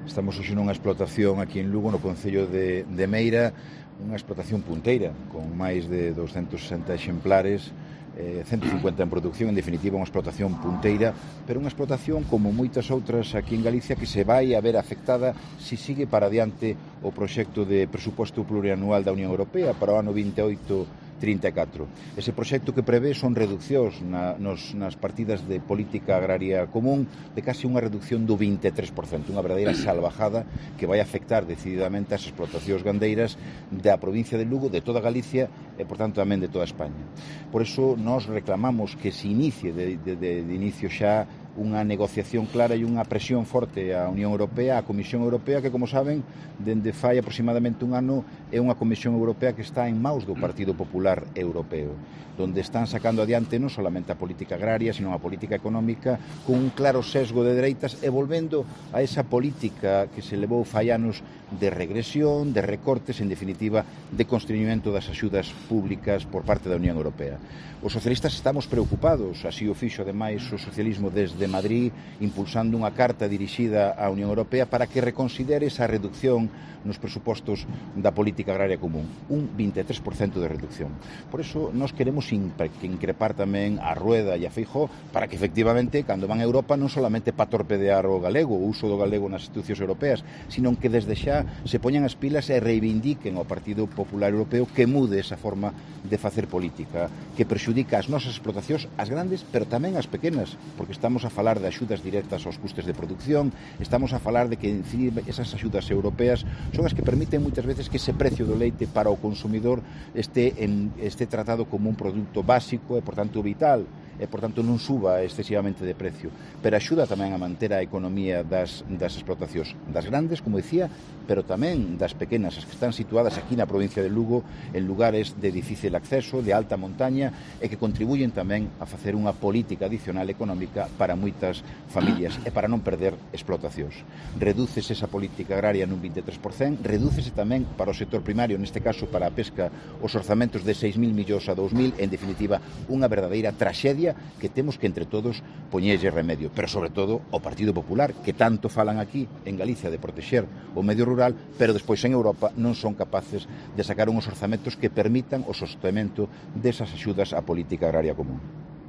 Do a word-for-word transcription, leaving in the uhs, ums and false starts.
Estamos hoxe nunha explotación aquí en Lugo, no concello de, de Meira, unha explotación punteira, con máis de doscentos sesenta exemplares, eh, ciento cincuenta en producción, en definitiva unha explotación punteira, pero unha explotación como moitas outras aquí en Galicia que se vai a ver afectada se sigue para adiante o proxecto de presuposto plurianual da Unión Europea para o ano vinte e oito trinta e catro. Ese proxecto que prevé son reduccións na, nos, nas partidas de política agraria común de casi unha reducción do vinte e tres por cento, unha verdadeira salvajada que vai afectar decididamente as explotacións gandeiras da provincia de Lugo, de toda Galicia e, por tanto, tamén de toda España. Por iso, nós reclamamos que se inicie de, de, de, de inicio xa unha negociación clara e unha presión forte á Unión Europea, á Comisión Europea, que, como saben, dende fai aproximadamente un ano é unha Comisión Europea que está en maus do Partido Popular Europeo, donde están sacando adiante non solamente a política agraria, sino a política económica con un claro sesgo de dereitas e volvendo a esa política que se levou fai anos de regresión, de recortes, en definitiva, de constreñimento das axudas públicas por parte da Unión Europea. Os socialistas estamos preocupados, así o fixo ademais o socialismo desde Madrid, impulsando unha carta dirixida á Unión Europea para que reconsidere esa reducción nos presupostos da política agraria común, un vinte e tres por cento de reducción. Por iso, nós queremos increpar tamén a Rueda e a Feijóo para que, efectivamente, cando van a Europa, non solamente para torpedear o galego, o uso do galego nas institucións europeas, sino que desde xa se poñan as pilas e reivindiquen ao Partido Popular Europeo que mude esa forma de facer política, que perxudica as nosas explotacións, as grandes, pero tamén as pequenas, porque estamos a falar de axudas directas aos custes de producción, estamos a falar de que esas axudas europeas son as que permiten moitas veces que ese precio do leite para o consumidor este, en, este tratado como un produto básico e, por tanto, vital, e, por tanto, non suba excesivamente de precio, pero axuda tamén a manter a economía das, das explotacións, das grandes, como dicía, pero tamén das pequenas, as que están situadas aquí na provincia de Lugo, en lugares de difícil acceso, de alta montaña, e que contribuyen tamén a facer unha política adicional económica para moitas familias e para non perder explotacións. Redúcese esa política agraria nun vinte e tres por cento, redúcese tamén para o sector primario, neste caso para a pesca, os orzamentos de seis mil millóns a dous mil, en definitiva, unha verdadeira traxedia que temos que entre todos poñerlle remedio, pero sobre todo o Partido Popular, que tanto falan aquí en Galicia de protexer o medio rural, pero despois en Europa non son capaces de sacar unhos orzamentos que permitan o sostenimento desas axudas á política agraria común.